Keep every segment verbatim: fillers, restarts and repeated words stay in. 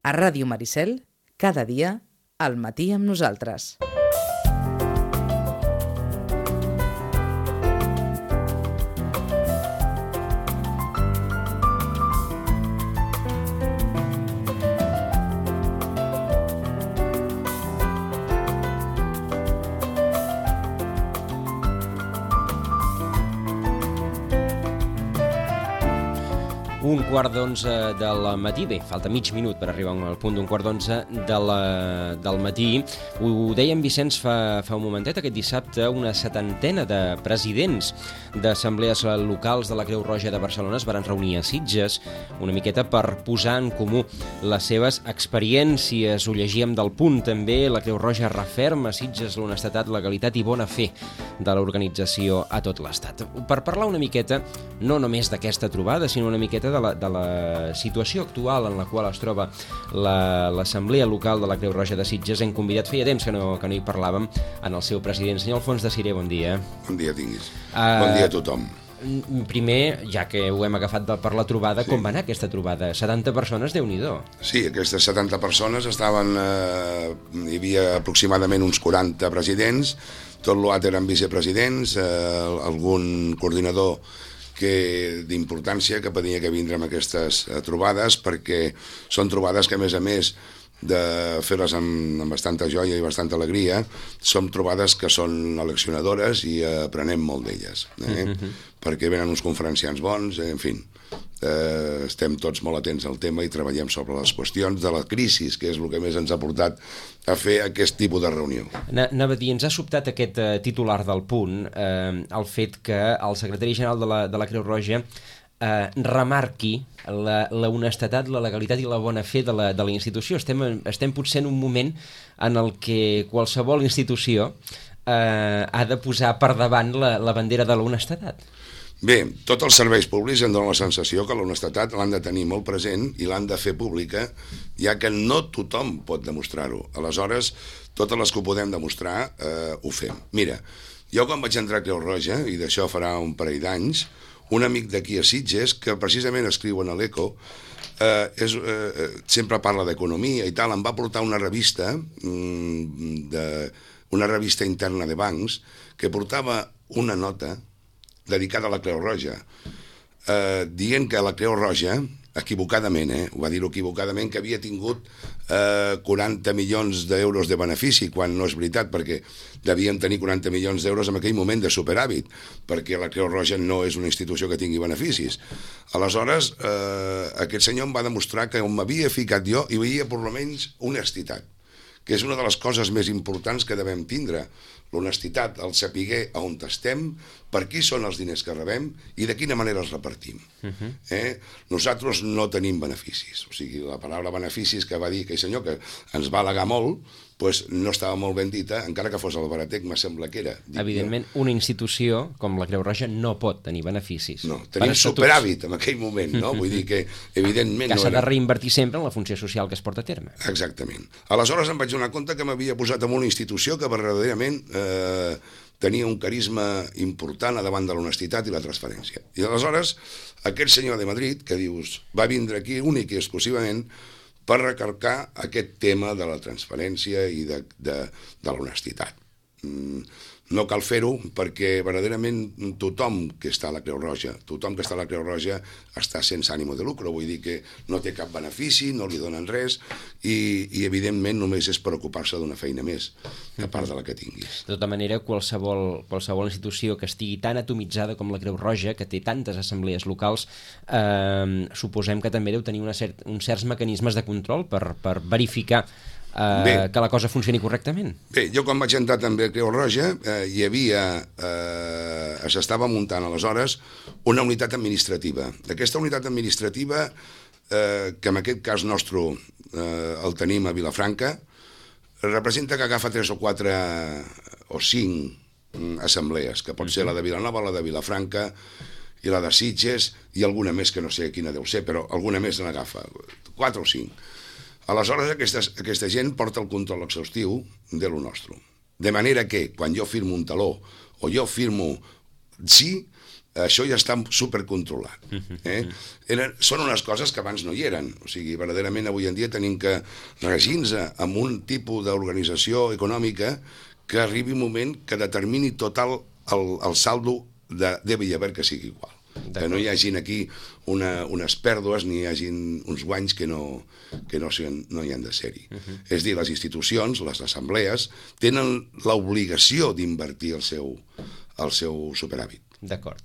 A Ràdio Maricel, cada dia, al matí amb nosaltres. Un quart d'onze del matí, bé, falta mig minut per arribar al punt d'un quart d'onze de la, del matí. Ho deia en Vicenç fa, fa un momentet, aquest dissabte una setantena de presidents d'assemblees locals de la Creu Roja de Barcelona es van reunir a Sitges una miqueta per posar en comú les seves experiències. Ho llegíem del Punt també, la Creu Roja referma Sitges l'honestedat, legalitat i bona fe de l'organització a tot l'Estat. Per parlar una miqueta, no només d'aquesta trobada, sinó una miqueta de la, de la situació actual en la qual es troba l'Assemblea Local de la Creu Roja de Sitges, hem convidat, feia temps que no, que no hi parlàvem, en el seu president, senyor Alfons de Siré, bon dia. Bon dia tinguis. Uh, bon dia a tothom. Primer, ja que ho hem agafat de, per la trobada, sí. Com va anar aquesta trobada? setanta persones, Déu-n'hi-do. Sí, aquestes setanta persones estaven... Eh, hi havia aproximadament uns quaranta presidents, tot l'altre eren vicepresidents, eh, algun coordinador que d'importància que tenia que vindre amb aquestes eh, trobades, perquè són trobades que, a més a més de fer-les amb, amb bastanta joia i bastanta alegria, són trobades que són eleccionadores i aprenem molt d'elles, eh? Mm-hmm. Perquè venen uns conferenciants bons, eh, en fi, eh, estem tots molt atents al tema i treballem sobre les qüestions de la crisi, que és el que més ens ha portat a fer aquest tipus de reunió. Anava a dir, ens ha sobtat aquest eh, titular del Punt, eh, el fet que el secretari general de la, de la Creu Roja eh, remarqui la, la honestedat, la legalitat i la bona fe de la, de la institució. Estem, estem potser en un moment en el que qualsevol institució eh, ha de posar per davant la, la bandera de la honestedat. Bé, tots els serveis públics em donen la sensació que l'honestedat l'han de tenir molt present i l'han de fer pública, ja que no tothom pot demostrar-ho. Aleshores, totes les que ho podem demostrar eh, ho fem. Mira, jo quan vaig entrar a Creu Roja, i d'això farà un parell d'anys, un amic d'aquí a Sitges, que precisament escriu en l'Eco, eh, és, eh, sempre parla d'economia i tal, em va portar una revista, mm, de, una revista interna de bancs, que portava una nota dedicada a la Creu Roja, eh, dient que la Creu Roja, equivocadament, eh, ho va dir equivocadament, que havia tingut eh, quaranta milions d'euros de benefici, quan no és veritat, perquè devien tenir quaranta milions d'euros en aquell moment de superàvit, perquè la Creu Roja no és una institució que tingui beneficis. Aleshores, eh, aquest senyor em va demostrar que on m'havia ficat jo hi veia per almenys honestitat, que és una de les coses més importants que devem tindre, l'honestitat, el saber a on estem, per qui són els diners que rebem i de quina manera els repartim. Uh-huh. eh? Nosaltres no tenim beneficis, o sigui, la paraula beneficis que va dir aquell senyor, que ens va al·legar molt, pues no estava molt ben dita, encara que fos el baratec, me sembla que era. Dic, evidentment, no. Una institució com la Creu Roja no pot tenir beneficis. No, tenim superàvit en aquell moment, no? Vull dir que, evidentment... Que no s'ha era... de reinvertir sempre en la funció social que es porta a terme. Exactament. Aleshores em vaig donar compte que m'havia posat en una institució que verdaderament eh, tenia un carisma important a davant de l'honestitat i la transparència. I aleshores, aquest senyor de Madrid, que dius, va vindre aquí únic i exclusivament per recarcar aquest tema de la transparència i de, de, de l'honestitat. Mm, no cal fer-ho perquè verdaderament tothom que està a la Creu Roja, tothom que està a la Creu Roja està sense ànimo de lucre, vull dir que no té cap benefici, no li donen res i, i evidentment només és preocupar-se d'una feina més, a part de la que tinguis. De tota manera, qualsevol, qualsevol institució que estigui tan atomitzada com la Creu Roja, que té tantes assemblees locals, eh, suposem que també deu tenir una cert, uns certs mecanismes de control per, per verificar Uh, que la cosa funcioni correctament. Bé, jo quan vaig entrar també a Creu Roja eh, hi havia, eh, s'estava muntant aleshores una unitat administrativa. Aquesta unitat administrativa, eh, que en aquest cas nostre eh, el tenim a Vilafranca, representa que agafa tres o quatre o cinc assemblees, que pot ser la de Vilanova, la de Vilafranca i la de Sitges i alguna més que no sé quina deu ser, però alguna més n'agafa, quatre o cinc. Aleshores, aquesta, aquesta gent porta el control exhaustiu de lo nostre. De manera que, quan jo firmo un taló o jo firmo sí, això ja està supercontrolat. Eh? Eren, són unes coses que abans no hi eren. O sigui, verdaderament avui en dia tenim que regir-nos amb un tipus d'organització econòmica que arribi un moment que determini tot el, el, el saldo de debe i haver que sigui igual. Que no hi hagin aquí una, unes pèrdues ni hi hagin uns guanys que no, que no, no hi han de ser-hi. Uh -huh. És dir, les institucions, les assemblees, tenen l'obligació d'invertir el seu, el seu superàvit. D'acord.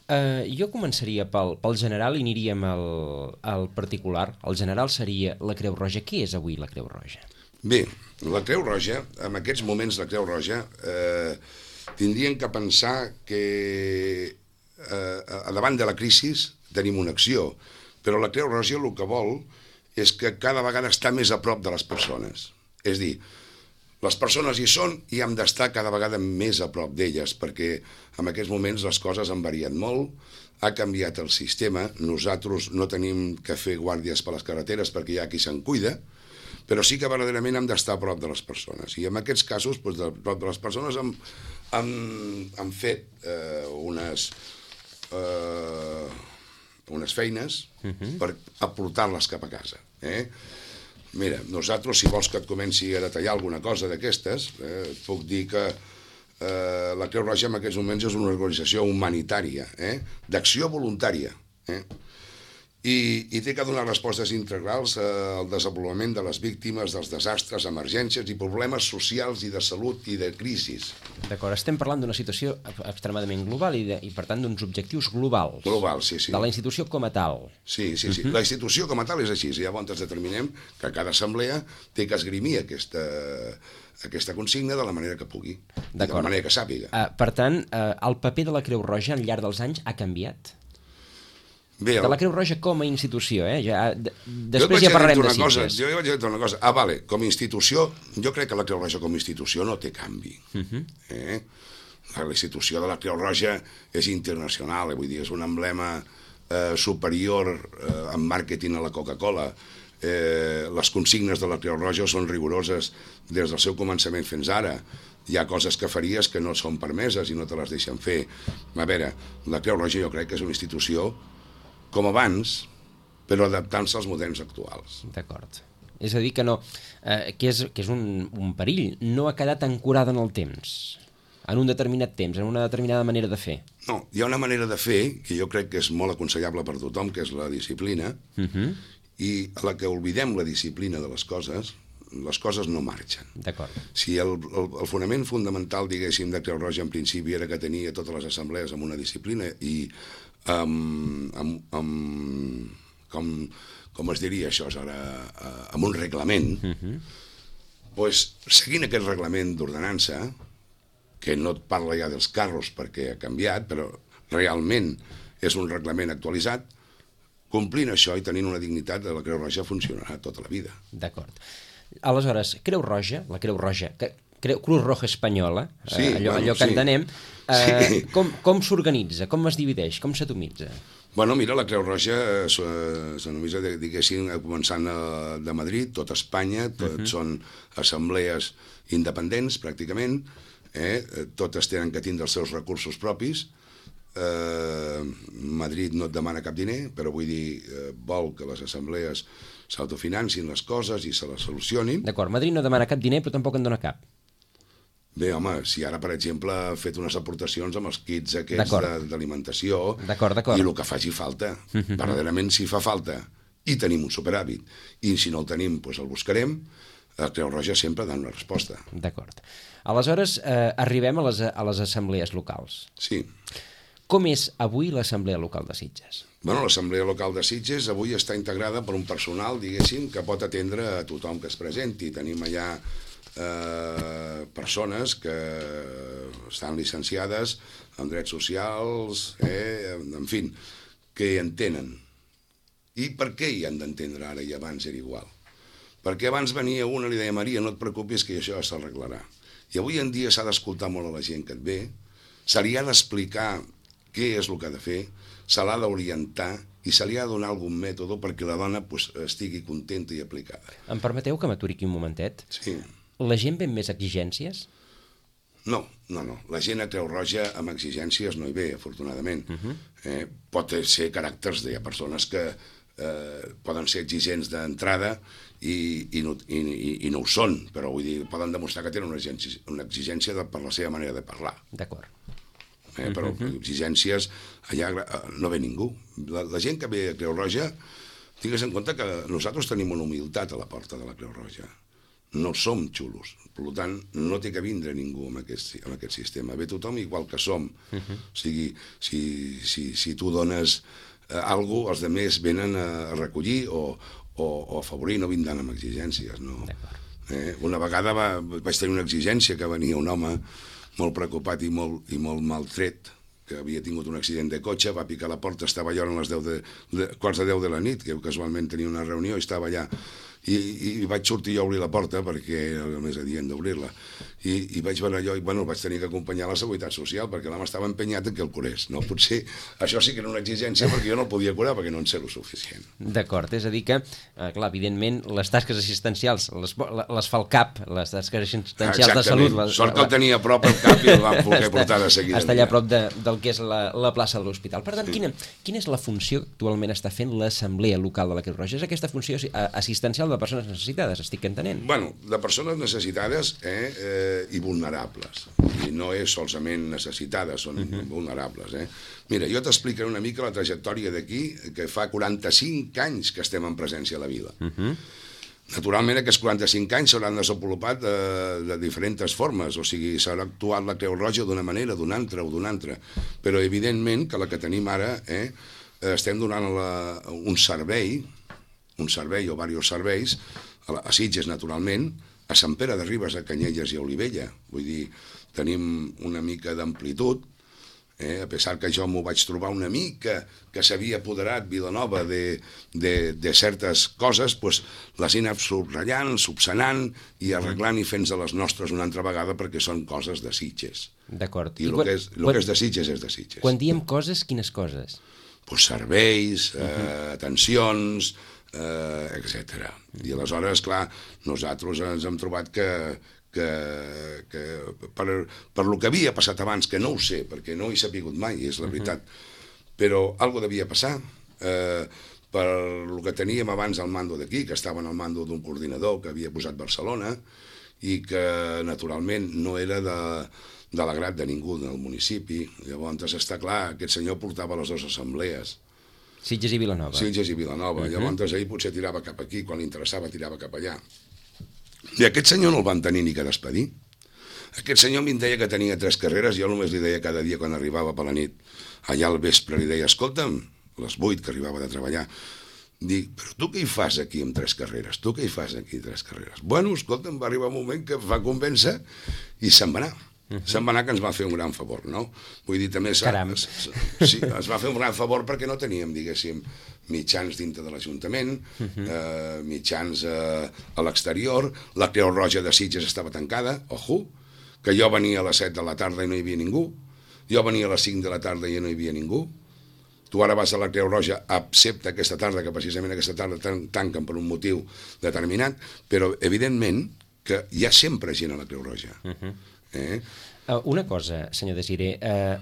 Uh, jo començaria pel, pel general i aniríem al, al particular. El general seria la Creu Roja. Què és avui la Creu Roja? Bé, la Creu Roja, en aquests moments la Creu Roja, eh, tindrien que pensar que eh, davant de la crisi tenim una acció, però la Creu Roja el que vol és que cada vegada està més a prop de les persones. És dir, les persones hi són i hem d'estar cada vegada més a prop d'elles, perquè en aquests moments les coses han variat molt, ha canviat el sistema, nosaltres no tenim que fer guàrdies per les carreteres perquè hi ha qui se'n cuida, però sí que verdaderament hem d'estar a prop de les persones. I en aquests casos, doncs, de prop de les persones hem, hem, hem fet eh, unes, eh, unes feines uh-huh. per aportar-les cap a casa. Eh? Mira, nosaltres, si vols que et comenci a detallar alguna cosa d'aquestes, eh, et puc dir que eh, la Creu Roja en aquests moments és una organització humanitària, eh, d'acció voluntària, eh? I, i té que donar respostes integrals al desenvolupament de les víctimes dels desastres, emergències i problemes socials i de salut i de crisis. D'acord, estem parlant d'una situació extremadament global i, de, i per tant, d'uns objectius globals. Global, sí, sí. De la institució com a tal. Sí, sí, sí. Uh-huh. La institució com a tal és així. Llavors ens determinem que cada assemblea té que esgrimir aquesta, aquesta consigna de la manera que pugui, de la manera que sàpiga. Uh, per tant, uh, el paper de la Creu Roja al llarg dels anys ha canviat? Bé, el... De la Creu Roja com a institució, eh? Ja, de, després ja parlarem de Sitges. Jo vaig dir una cosa. Ah, vale, com a institució, jo crec que la Creu Roja com a institució no té canvi. Uh-huh. eh? La institució de la Creu Roja és internacional, eh? Vull dir, és un emblema eh, superior eh, en màrqueting a la Coca-Cola. Eh, les consignes de la Creu Roja són rigoroses des del seu començament fins ara. Hi ha coses que faries que no són permeses i no te les deixen fer. A veure, la Creu Roja jo crec que és una institució com abans, però adaptant-se als moderns actuals. D'acord. És a dir, que no, eh, que és, que és un, un perill. No ha quedat ancorada en el temps, en un determinat temps, en una determinada manera de fer. No, hi ha una manera de fer que jo crec que és molt aconsellable per tothom, que és la disciplina, uh-huh. i a la que oblidem la disciplina de les coses, les coses no marxen. D'acord. Si el, el, el fonament fundamental, diguéssim, de Creu Roja en principi era que tenia totes les assemblees amb una disciplina i amb, amb, amb com, com es diria això ara, amb un reglament, uh-huh. pues, seguint aquest reglament d'ordenança, que no et parla ja dels carros perquè ha canviat, però realment és un reglament actualitzat, complint això i tenint una dignitat, la Creu Roja funcionarà tota la vida. D'acord. Aleshores, Creu Roja, la Creu Roja, que Creu, Cruz Roja Espanyola, sí, eh, allò, bueno, allò que sí. entenem, eh, sí. com, com s'organitza, com es divideix, com s'atomitza? Bueno, mira, la Creu Roja s'anomitza, diguéssim, començant de Madrid, tot Espanya, tot uh-huh. són assemblees independents, pràcticament, eh? Totes tenen que tindre els seus recursos propis. Eh, Madrid no et demana cap diner, però vull dir, eh, vol que les assemblees s'autofinancin les coses i se les solucionin. D'acord, Madrid no demana cap diner, però tampoc en dona cap. Bé, home, si ara, per exemple, ha fet unes aportacions amb els kits aquests d'alimentació i el que faci falta, uh-huh. verdaderament si fa falta i tenim un superàvit, i si no el tenim, doncs el buscarem, la Creu Roja sempre dona una resposta. D'acord. Aleshores, eh, arribem a les, a les assemblees locals. Sí. Com és avui l'assemblea local de Sitges? Bueno, l'assemblea local de Sitges avui està integrada per un personal, diguéssim, que pot atendre a tothom que es presenti. Tenim allà eh, persones que estan llicenciades en drets socials, eh, en fi, que hi entenen. I per què hi han d'entendre ara i abans era igual? Perquè abans venia una i li deia, Maria, no et preocupis que això s'arreglarà. I avui en dia s'ha d'escoltar molt a la gent que et ve, se li ha d'explicar què és el que ha de fer, se l'ha d'orientar i se li ha de donar algun mètode perquè la dona pues, estigui contenta i aplicada. Em permeteu que m'aturi aquí un momentet? Sí. La gent ve amb més exigències? No, no, no. La gent a Creu Roja amb exigències no hi ve, afortunadament. Uh -huh. eh, pot ser caràcters, hi ha persones que eh, poden ser exigents d'entrada i, i, no, i, i no ho són, però vull dir, poden demostrar que tenen una exigència, una exigència de, per la seva manera de parlar. D'acord. Eh, però uh -huh. exigències, allà no ve ningú. La, la gent que ve a Creu Roja, tingues en compte que nosaltres tenim una humilitat a la porta de la Creu Roja. No som xulos, per tant, no té que vindre ningú amb aquest, amb aquest sistema. Ve tothom igual que som. Uh -huh. O sigui, si, si, si tu dones eh, alguna cosa, els altres venen a, a recollir o, o, o a afavorir, no vindran amb exigències. No? Eh, una vegada va, vaig tenir una exigència que venia un home molt preocupat i molt, i molt maltret, que havia tingut un accident de cotxe, va picar la porta, estava allò a les deu de, de, quarts de deu de la nit, que casualment tenia una reunió i estava allà. I, i vaig sortir jo a obrir la porta perquè era el més adient d'obrir-la i, i vaig veure allò i bueno, vaig tenir que acompanyar la Seguretat Social perquè l'home estava empenyat en que el curés, no? Potser això sí que era una exigència perquè jo no el podia curar perquè no en sé el suficient. D'acord, és a dir que, eh, clar, evidentment les tasques assistencials les, les fa el C A P, les tasques assistencials de salut. Les, Sort que el tenia a prop el C A P i el van poder portar de seguida. Està allà a prop de, del que és la, la plaça de l'hospital. Per tant, sí. quina, quina és la funció que actualment està fent l'Assemblea Local de la Creu Roja? És aquesta funció assistencial de persones necessitades, estic entenent. Bueno, de persones necessitades eh, eh, i vulnerables. I no és solament necessitades, són uh -huh. vulnerables. Eh? Mira, jo t'explicaré una mica la trajectòria d'aquí, que fa quaranta-cinc anys que estem en presència a la vila. Uh -huh. Naturalment, aquests quaranta-cinc anys s'hauran desenvolupat de, de diferents formes, o sigui, s'haurà actuat la Creu Roja d'una manera, d'una altra o d'una altra, però evidentment que la que tenim ara, eh, estem donant la, un servei, un servei o diversos serveis, a, a Sitges, naturalment, a Sant Pere de Ribes, a Canyelles i a Olivella. Vull dir, tenim una mica d'amplitud, eh? A pesar que jo m'ho vaig trobar una mica, que s'havia apoderat Vilanova de, de, de certes coses, pues, les he anat subratllant, subsanant i arreglant i fent-se les nostres una altra vegada perquè són coses de Sitges. D'acord. I, I el, quan, que és, el quan, que és de Sitges és de Sitges. Quan diem coses, quines coses? Pues serveis, eh, uh -huh. atencions, eh, etcètera. I aleshores, clar, nosaltres ens hem trobat que, que, que per, per lo que havia passat abans, que no ho sé, perquè no hi he sapigut mai, és la veritat, uh-huh. però algo devia passar, eh, per lo que teníem abans al mando d'aquí, que estava en el mando d'un coordinador que havia posat Barcelona, i que naturalment no era de, de l'agrat de ningú del municipi. Llavors està clar, aquest senyor portava les dues assemblees, Sitges i Vilanova. Sitges i Vilanova. Uh -huh. Llavors ahir potser tirava cap aquí, quan li interessava tirava cap allà. I aquest senyor no el van tenir ni que despedir. Aquest senyor em deia que tenia tres carreres, jo només li deia cada dia quan arribava per la nit, allà al vespre li deia, escolta'm, a les vuit que arribava de treballar, dic, però tu què hi fas aquí amb tres carreres? Tu què hi fas aquí amb tres carreres? Bueno, escolta'm, va arribar un moment que va convèncer i se'n va anar. Uh -huh. Se'n va anar, que ens va fer un gran favor, no? Vull dir, també... Caram. Sí, ens va fer un gran favor perquè no teníem, diguéssim, mitjans dintre de l'Ajuntament, uh -huh. eh, mitjans eh, a l'exterior, la Creu Roja de Sitges estava tancada, ojo, que jo venia a les set de la tarda i no hi havia ningú, jo venia a les cinc de la tarda i no hi havia ningú, tu ara vas a la Creu Roja, excepte aquesta tarda, que precisament aquesta tarda tan, tanquen per un motiu determinat, però evidentment que hi ha sempre gent a la Creu Roja. Uh -huh. eh? uh, una cosa, senyor Desiré, uh,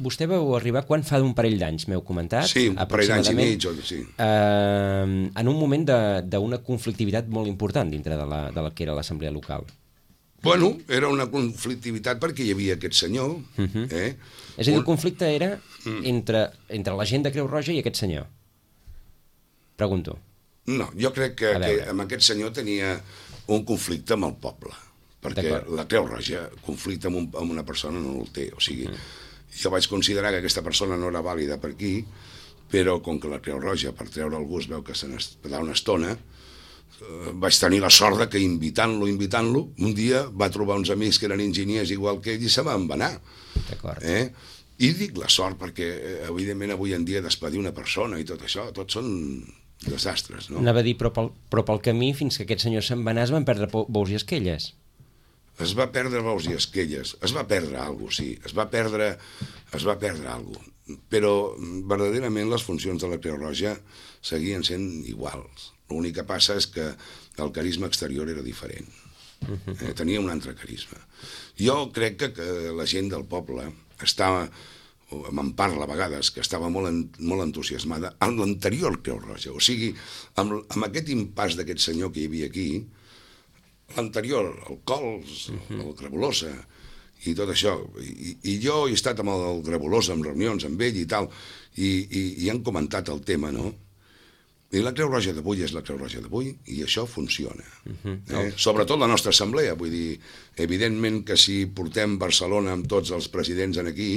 vostè vau arribar quan fa un parell d'anys, m'heu comentat? Sí, un parell d'anys i mig, sí. Uh, en un moment d'una conflictivitat molt important dintre de la, de la que era l'assemblea local. Bueno, era una conflictivitat perquè hi havia aquest senyor. Uh -huh. eh? És a dir, el conflicte era entre, entre la gent de Creu Roja i aquest senyor. Pregunto. No, jo crec que, que amb aquest senyor tenia un conflicte amb el poble, perquè la Creu Roja, conflicte amb, un, amb una persona no el té. O sigui, uh -huh. jo vaig considerar que aquesta persona no era vàlida per aquí, però com que la Creu Roja, per treure algú, es veu que se n'està una estona, vaig tenir la sort de que invitant-lo, invitant-lo, un dia va trobar uns amics que eren enginyers igual que ell i se van anar. D'acord. Eh? I dic la sort perquè, evidentment, avui en dia despedir una persona i tot això, tots són desastres, no? Anava a dir, però pel, però pel camí, fins que aquest senyor se'n va anar, es van perdre bous i esquelles. Es va perdre bous i esquelles, es va perdre alguna cosa, sí, es va perdre, es va perdre alguna cosa, però verdaderament les funcions de la Creu Roja seguien sent iguals. L'únic que passa és que el carisma exterior era diferent. Eh, tenia un altre carisma. Jo crec que, que la gent del poble estava, me'n parla a vegades, que estava molt, en, molt entusiasmada amb l'anterior Creu Roja. O sigui, amb, amb aquest impàs d'aquest senyor que hi havia aquí, l'anterior, el Cols, el Grabolosa, i tot això. I, i jo he estat amb el Grabolosa en reunions amb ell i tal, i, i, i han comentat el tema, no? I la Creu Roja d'avui és la Creu Roja d'avui i això funciona. Uh-huh. eh? Sobretot la nostra assemblea, vull dir, evidentment que si portem Barcelona amb tots els presidents en aquí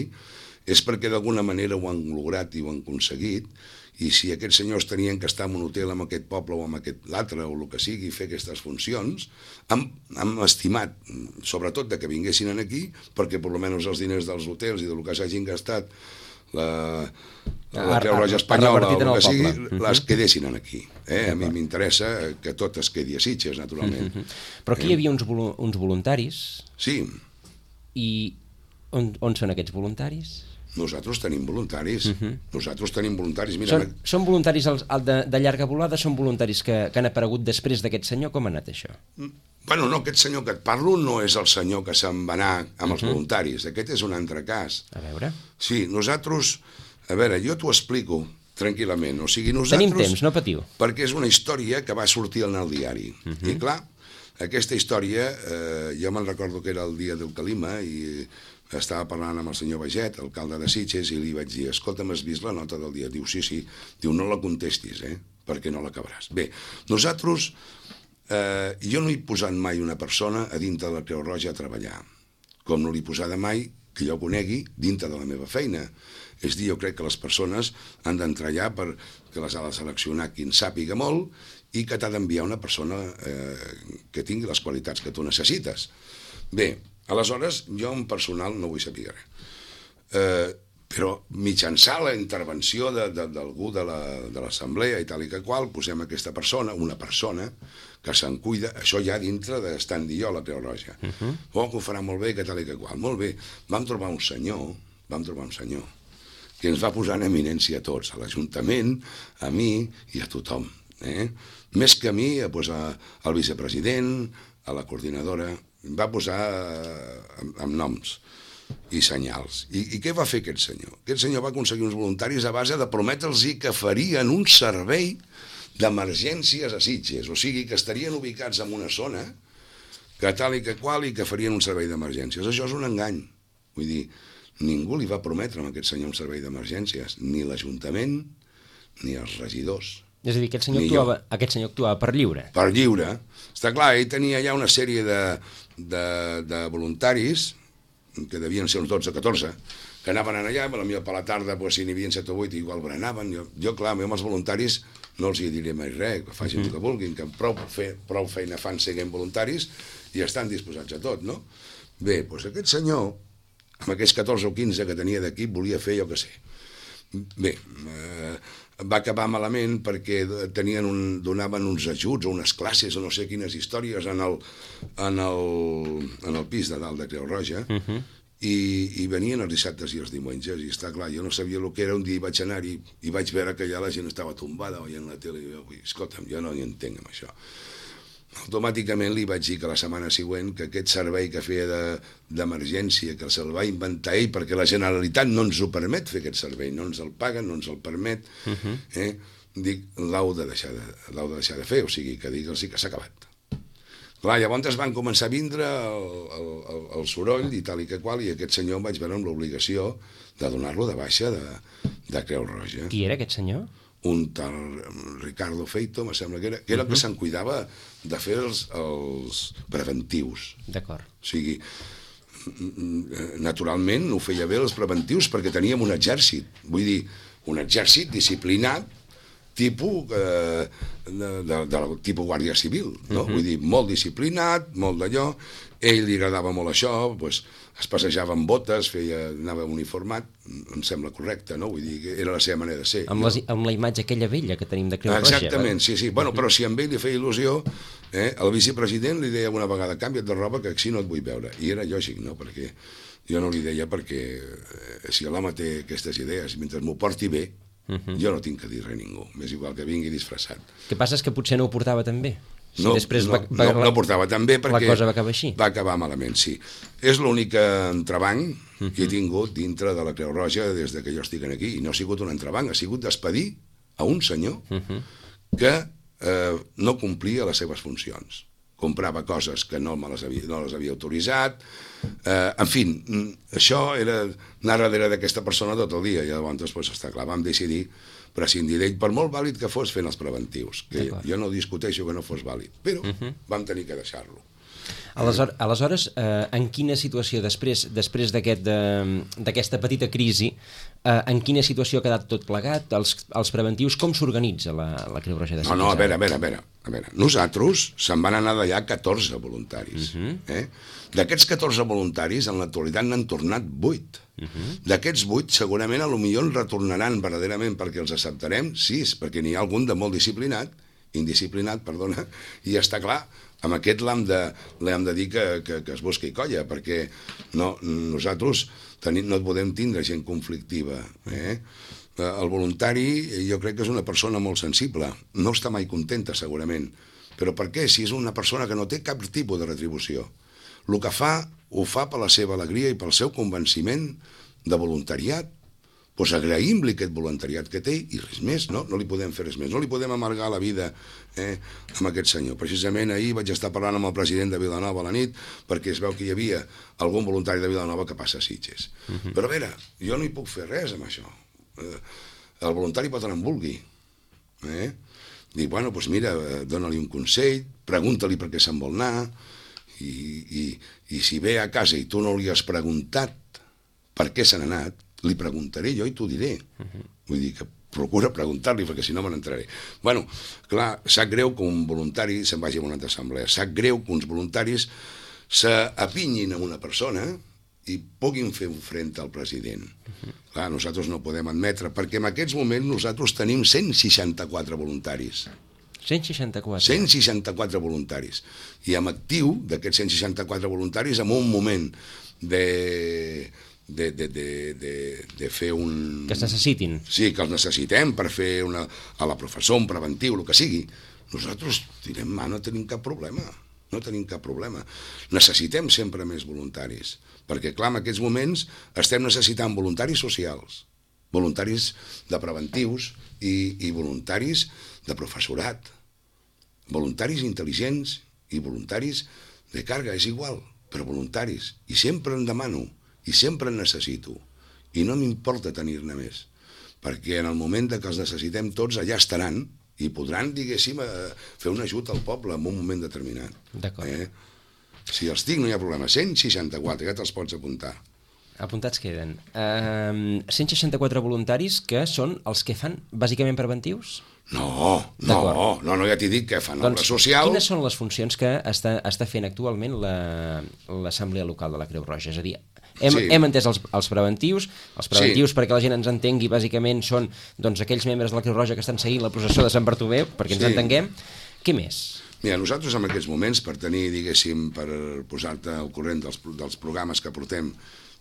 és perquè d'alguna manera ho han lograt i ho han aconseguit, i si aquests senyors tenien que estar en un hotel amb aquest poble o amb aquest l'altre o el que sigui, fer aquestes funcions, han, han estimat, sobretot de que vinguessin aquí, perquè per almenys els diners dels hotels i del que s'hagin gastat la, la Creu Roja Espanyola o el que sigui, les quedessin aquí. Eh? A mi m'interessa que tot es quedi a Sitges, naturalment. Però aquí hi havia uns, uns voluntaris. Sí. I on, on són aquests voluntaris? Nosaltres tenim voluntaris. Uh-huh. Nosaltres tenim voluntaris. Mira, són, són voluntaris el, el de, de llarga volada? Són voluntaris que, que han aparegut després d'aquest senyor? Com ha anat això? Bueno, no, aquest senyor que et parlo no és el senyor que se'n va anar amb els uh-huh. voluntaris. Aquest és un altre cas. A veure. Sí, nosaltres... A veure, jo t'ho explico tranquil·lament. O sigui, nosaltres... Tenim temps, no patiu. Perquè és una història que va sortir en el diari. Uh-huh. I clar, aquesta història, eh, jo me'n recordo que era el dia del Calima i estava parlant amb el senyor Baget, alcalde de Sitges, i li vaig dir, escolta'm, has vist la nota del dia? Diu, sí, sí. Diu, no la contestis, eh? Perquè no l'acabaràs. Bé, nosaltres, eh, jo no he posat mai una persona a dintre de la Creu Roja a treballar, com no l'he posada mai, que jo conegui, dintre de la meva feina. És dir, jo crec que les persones han d'entrar allà perquè les ha de seleccionar qui en sàpiga molt i que t'ha d'enviar una persona eh, que tingui les qualitats que tu necessites. Bé, aleshores, jo en personal no vull saber res. Eh, però mitjançant la intervenció d'algú de, de, de l'assemblea i tal i que qual, posem aquesta persona, una persona, que se'n cuida, això ja dintre d'estant dir jo la Creu Roja. Uh-huh. Oh, que ho farà molt bé, que tal i que qual. Molt bé. Vam trobar un senyor, vam trobar un senyor, que ens va posar en eminència a tots, a l'Ajuntament, a mi i a tothom. Eh? Més que a mi, pues, a, al vicepresident, a la coordinadora, va posar eh, amb, amb noms i senyals. I, I què va fer aquest senyor? Aquest senyor va aconseguir uns voluntaris a base de prometre'ls que farien un servei d'emergències a Sitges, o sigui, que estarien ubicats en una zona que tal i que qual i que farien un servei d'emergències. Això és un engany. Vull dir, ningú li va prometre a aquest senyor un servei d'emergències, ni l'Ajuntament ni els regidors. És a dir, aquest senyor, actuava, aquest senyor actuava per lliure. Per lliure. Està clar, ell tenia ja una sèrie de, de, de voluntaris, que devien ser uns dotze o catorze, que anaven allà, potser per la tarda, pues, si n'hi havia set o vuit, igual berenaven. Jo, jo, clar, amb els voluntaris no els hi diré mai res, que facin uh-huh. el que vulguin, que prou, fe, prou feina fan sent voluntaris i estan disposats a tot, no? Bé, doncs aquest senyor, amb aquests catorze o quinze que tenia d'equip, volia fer, jo què sé. Bé, eh, va acabar malament perquè tenien un, donaven uns ajuts o unes classes o no sé quines històries en el, en el, en el pis de dalt de Creu Roja, uh-huh. i, i venien els dissabtes i els diumenges, i està clar, jo no sabia el que era, un dia vaig anar-hi i vaig veure que allà la gent estava tombada veient la tele, i jo, escolta'm, jo no hi entenc amb això. Automàticament li vaig dir que la setmana següent que aquest servei que feia d'emergència, de, que se'l va inventar ell perquè la Generalitat no ens ho permet fer aquest servei, no ens el paguen, no ens el permet, uh-huh. eh? Dic, l'hau de, deixar de, l'hau de deixar de fer, o sigui, que digue'ls que s'ha acabat. Clar, llavors van començar a vindre el, el, el, el soroll i tal i que qual, i aquest senyor em vaig veure amb l'obligació de donar-lo de baixa de, de Creu Roja. Qui era aquest senyor? Un tal Ricardo Feito, me sembla que era, que era el que se'n cuidava de fer els, els preventius. D'acord. O sigui, naturalment ho feia bé els preventius perquè teníem un exèrcit, vull dir, un exèrcit disciplinat, tipus, eh, de, de, de, tipus Guàrdia Civil, no? Uh-huh. Vull dir, molt disciplinat, molt d'allò, ell li agradava molt això, pues, es passejava amb botes, feia, anava uniformat, em sembla correcte, no? Vull dir, que era la seva manera de ser. Amb, no? les, amb la imatge aquella vella que tenim de Creu Roja. Exactament, sí, sí. Bueno, però si amb ell li feia il·lusió, eh, el vicepresident li deia una vegada, canvia't de roba, que així no et vull veure. I era lògic, no? Perquè jo no li deia perquè eh, si l'home té aquestes idees, mentre m'ho porti bé, uh-huh. jo no tinc que dir res a ningú. M'és igual que vingui disfressat. El que passa és que potser no ho portava tan bé. Si no, després no, va, va, no, no portava tan bé perquè la cosa va acabar així. Va acabar malament, sí. És l'únic entrebanc uh-huh. que he tingut dintre de la Creu Roja des de que jo estic aquí. I no ha sigut un entrebanc, ha sigut despedir a un senyor uh-huh. que eh, no complia les seves funcions. Comprava coses que no, me les, havia, no les havia autoritzat. Eh, en fi, això era anar darrere d'aquesta persona tot el dia. I llavors, pues, està clar, vam decidir prescindir d'ell, per molt vàlid que fos fent els preventius, que jo no discuteixo que no fos vàlid, però uh-huh. vam tenir que deixar-lo. Aleshores, aleshores eh, en quina situació, després després d'aquest, d'aquesta petita crisi, eh, en quina situació ha quedat tot plegat, els, els preventius, com s'organitza la, la Creu Roja de Sant No, no, a veure, a veure, a veure, a veure. Nosaltres se'n van anar d'allà catorze voluntaris. Uh-huh. eh? D'aquests catorze voluntaris, en l'actualitat n'han tornat vuit. Uh-huh. D'aquests vuit, segurament, a lo millor en retornaran verdaderament perquè els acceptarem, sis, perquè n'hi ha algun de molt disciplinat, indisciplinat, perdona, i està clar, amb aquest l'hem de, l'hem de dir que, que, que es busqui colla, perquè no, nosaltres tenim, no podem tindre gent conflictiva. Eh? El voluntari jo crec que és una persona molt sensible, no està mai contenta segurament, però per què? Si és una persona que no té cap tipus de retribució. El que fa, ho fa per la seva alegria i pel seu convenciment de voluntariat. Doncs agraïm-li aquest voluntariat que té i res més, no? No li podem fer res més, no li podem amargar la vida eh, amb aquest senyor. Precisament ahir vaig estar parlant amb el president de Vilanova a la nit perquè es veu que hi havia algun voluntari de Vilanova que passa a Sitges. Uh-huh. Però a veure, jo no hi puc fer res amb això. Eh, el voluntari pot anar on vulgui. Eh? Dic, bueno, doncs mira, dona-li un consell, pregunta-li per què se'n vol anar, i, i, i si ve a casa i tu no li has preguntat per què se n'ha anat, li preguntaré jo i t'ho diré. Uh-huh. Vull dir que procura preguntar-li, perquè si no me n'entraré. Bueno, clar, sap greu que un voluntari se'n vagi a una altra assemblea. Sap greu que uns voluntaris s'apinyin a una persona i puguin fer un front al president. Uh-huh. Clar, nosaltres no podem admetre, perquè en aquests moments nosaltres tenim cent seixanta-quatre voluntaris. cent seixanta-quatre. cent seixanta-quatre voluntaris. I en actiu d'aquests cent seixanta-quatre voluntaris, en un moment de... De, de, de, de, de fer un... Que es necessitin. Sí, que els necessitem per fer una, a la professor, un preventiu, el que sigui. Nosaltres direm, ma, no tenim cap problema. No tenim cap problema. Necessitem sempre més voluntaris. Perquè, clar, en aquests moments estem necessitant voluntaris socials, voluntaris de preventius i, i voluntaris de professorat, voluntaris intel·ligents i voluntaris de càrrega, és igual, però voluntaris. I sempre en demano, i sempre en necessito, i no m'importa tenir-ne més, perquè en el moment que els necessitem tots, allà estaran, i podran, diguéssim, fer un ajut al poble en un moment determinat. D'acord. Eh? Si els tinc, no hi ha problema. cent seixanta-quatre, ja te'ls pots apuntar. Apuntats queden. Uh, cent seixanta-quatre voluntaris que són els que fan bàsicament preventius? No, no, no, no, ja t'he dit que fan obra doncs, social. Quines són les funcions que està, està fent actualment l'Assemblea Local de la Creu Roja? És a dir, hem, sí. hem entès els, els preventius, els preventius sí. perquè la gent ens entengui, bàsicament són doncs, aquells membres de la Creu Roja que estan seguint la processó de Sant Bartomeu, perquè ens sí. entenguem. Què més? Mira, nosaltres en aquests moments, per tenir, diguéssim, per posar-te al corrent dels, dels programes que portem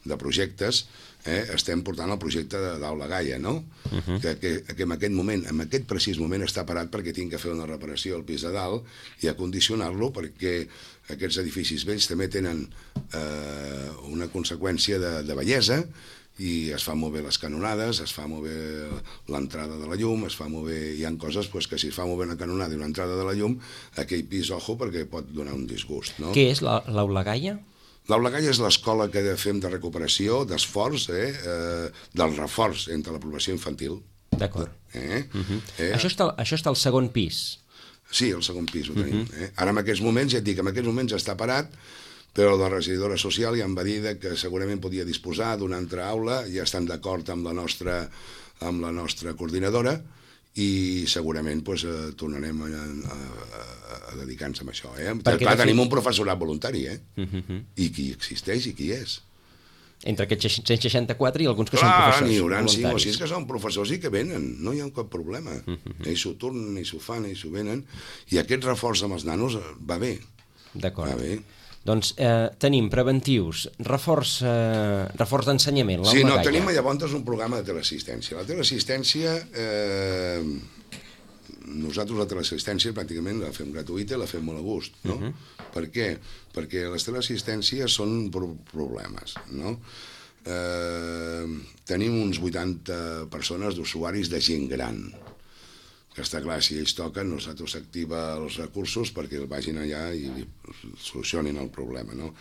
de projectes, eh, estem portant el projecte d'Aula Gaia, no? Uh-huh. que, que, que en aquest moment, en aquest precís moment està parat perquè tinc que fer una reparació al pis de dalt i acondicionar-lo perquè aquests edificis vells també tenen eh, una conseqüència de, de bellesa i es fan molt bé les canonades, es fa molt bé l'entrada de la llum, es fa molt bé, hi ha coses pues, que si es fa molt bé una canonada i una entrada de la llum, aquell pis, ojo, perquè pot donar un disgust, no? Què és l'Aula Gaia? L'Aula Gaia és l'escola que fem de recuperació, d'esforç, eh, eh, del reforç entre la població infantil. D'acord. Eh? Uh-huh. eh? Això, està, això està al segon pis? Sí, al segon pis ho tenim. Uh-huh. eh? Ara en aquests moments, ja et dic, en aquests moments està parat, però la regidora social ja em va dir que segurament podia disposar d'una altra aula, ja estan d'acord amb la nostra, amb la nostra coordinadora, i segurament pues, eh, tornarem a, a, a dedicar-nos a això. Eh? Clar, tenim un professorat voluntari, eh? Uh-huh. I qui existeix i qui és. Entre aquests cent seixanta-quatre i alguns que Clar, són professors n'hi haurà voluntaris. cinc o sis que són professors i que venen, no hi ha cap problema. Uh-huh. Ells s'ho tornen, ells s'ho fan, ells s'ho venen, i aquest reforç amb els nanos va bé. D'acord. Va bé. Doncs eh, tenim preventius, reforç, eh, reforç d'ensenyament. Sí, no, tenim llavors un programa de teleassistència. La teleassistència, eh, nosaltres la teleassistència pràcticament la fem gratuïta i la fem molt a gust, no? Uh -huh. Per què? Perquè les teleassistències són pro problemes, no? Eh, tenim uns vuitanta persones d'usuaris de gent gran, que està clar, si ells toquen, nosaltres s'activa els recursos perquè el vagin allà i li solucionin el problema, no?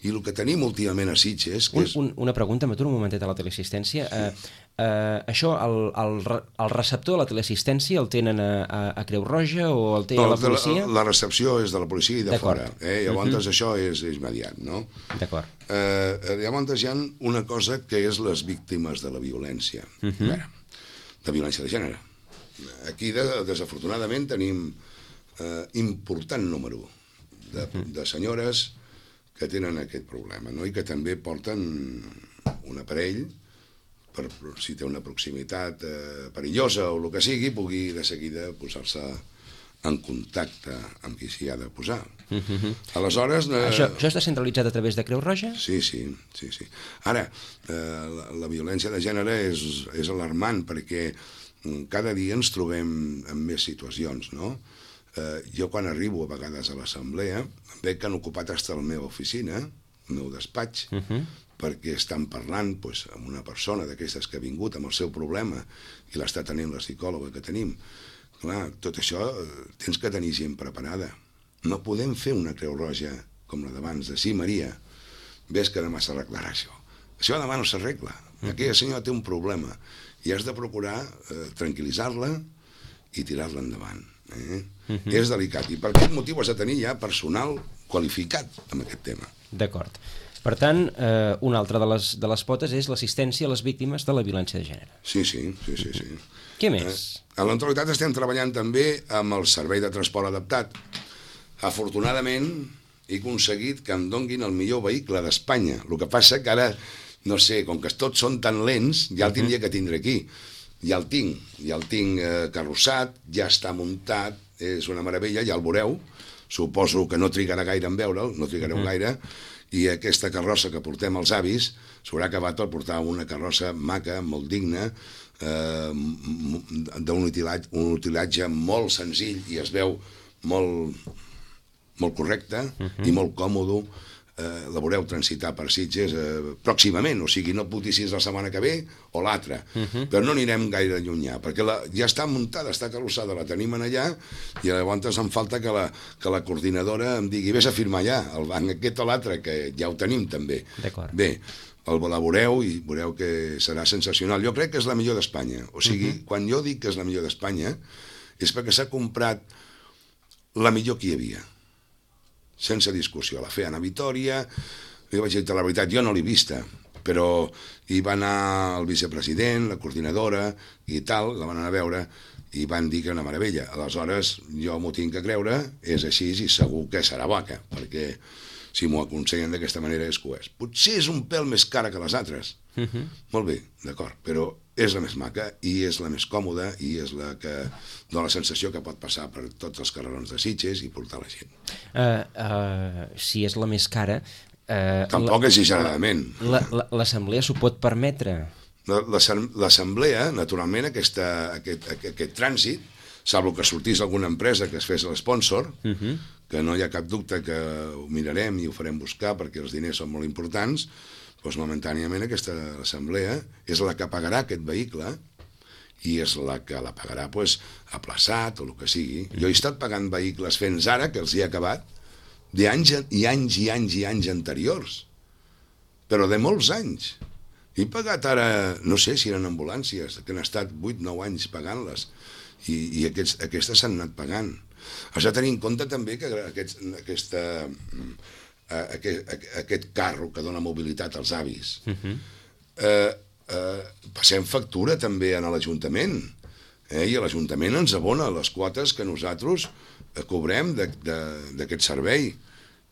I el que tenim últimament a Sitges... Que un, és... un, una pregunta, m'aturo un momentet a la teleassistència. Sí. Eh, eh, això, el, el, el receptor de la teleassistència el tenen a, a, a Creu Roja o el té no, a la policia? La, la recepció és de la policia i de fora. Eh? Llavors uh -huh. això és, és immediat, no? D'acord. Eh, llavors hi ha una cosa que és les víctimes de la violència. Uh -huh. Veure, de violència de gènere. Aquí, de, desafortunadament, tenim eh, important número de, de senyores que tenen aquest problema, no? I que també porten un aparell per, si té una proximitat eh, perillosa o el que sigui, pugui de seguida posar-se en contacte amb qui s'hi ha de posar. Uh-huh. Aleshores... Eh, això, això està centralitzat a través de Creu Roja? Sí, sí, sí, sí. Ara, eh, la, la violència de gènere és, és alarmant perquè cada dia ens trobem en més situacions, no? Eh, jo quan arribo a vegades a l'assemblea veig que han ocupat fins a la meva oficina, el meu despatx, uh -huh. perquè estan parlant pues, amb una persona d'aquestes que ha vingut amb el seu problema i l'està tenint la psicòloga que tenim. Clar, tot això eh, tens que tenir gent preparada. No podem fer una Creu Roja com la d'abans, de sí, Maria, ves que demà s'arreglarà això. Això demà no s'arregla. Aquella senyora té un problema i has de procurar eh, tranquil·litzar-la i tirar-la endavant. Eh? Uh -huh. És delicat, i per aquest motiu has de tenir ja personal qualificat en aquest tema. D'acord. Per tant, eh, una altra de les, de les potes és l'assistència a les víctimes de la violència de gènere. Sí, sí, sí, sí. sí. Què més? Eh? A l'Entralitat estem treballant també amb el servei de transport adaptat. Afortunadament, he aconseguit que em donguin el millor vehicle d'Espanya. El que passa que ara, no sé, com que tots són tan lents, ja el tindria que tindre aquí. Ja el tinc, ja el tinc eh, carrossat, ja està muntat, és una meravella, ja el veureu, suposo que no trigarà gaire en veure'l, no trigareu uh -huh. gaire, i aquesta carrossa que portem als avis s'haurà acabat per portar una carrossa maca, molt digna, eh, d'un utilatge, un utilatge molt senzill i es veu molt, molt correcte uh -huh. i molt còmode. Eh, la veureu transitar per Sitges eh, pròximament, o sigui, no puc dir si és la setmana que ve o l'altra, uh -huh. però no anirem gaire llunyà, perquè la, ja està muntada, està carrossada, la tenim en allà, i llavors em falta que la, que la coordinadora em digui, vés a firmar allà, el banc aquest o l'altre, que ja ho tenim també. Bé, el, la veureu i veureu que serà sensacional. Jo crec que és la millor d'Espanya, o sigui, uh -huh. quan jo dic que és la millor d'Espanya, és perquè s'ha comprat la millor que hi havia, sense discussió. La feien a Vitòria, li vaig dir la veritat, jo no l'he vista, però hi va anar el vicepresident, la coordinadora i tal, la van anar a veure i van dir que era una meravella. Aleshores, jo m'ho tinc que creure, és així i segur que serà vaca, perquè si m'ho aconsellen d'aquesta manera és que ho és. Potser és un pèl més cara que les altres. Uh -huh. Molt bé, d'acord, però és la més maca i és la més còmoda i és la que dona la sensació que pot passar per tots els carrerons de Sitges i portar la gent. Uh, uh, si és la més cara... Uh, Tampoc exageradament. L'assemblea s'ho pot permetre? L'assemblea, naturalment, aquesta, aquest, aquest, aquest trànsit, salvo que sortís alguna empresa que es fes l'espònsor, uh -huh. que no hi ha cap dubte que ho mirarem i ho farem buscar perquè els diners són molt importants, doncs momentàniament aquesta assemblea és la que pagarà aquest vehicle i és la que la pagarà pues, aplaçat o el que sigui. Jo he estat pagant vehicles fins ara, que els hi he acabat, d'anys i anys i anys i anys anteriors, però de molts anys. He pagat ara, no sé si eren ambulàncies, que han estat vuit nou anys pagant-les, i, i aquests, aquestes s'han anat pagant. Has de tenir en compte també que aquest, aquesta, aquest, aquest carro que dona mobilitat als avis, uh-huh. eh, eh, passem factura també a l'Ajuntament, eh, i l'Ajuntament ens abona les quotes que nosaltres cobrem d'aquest servei,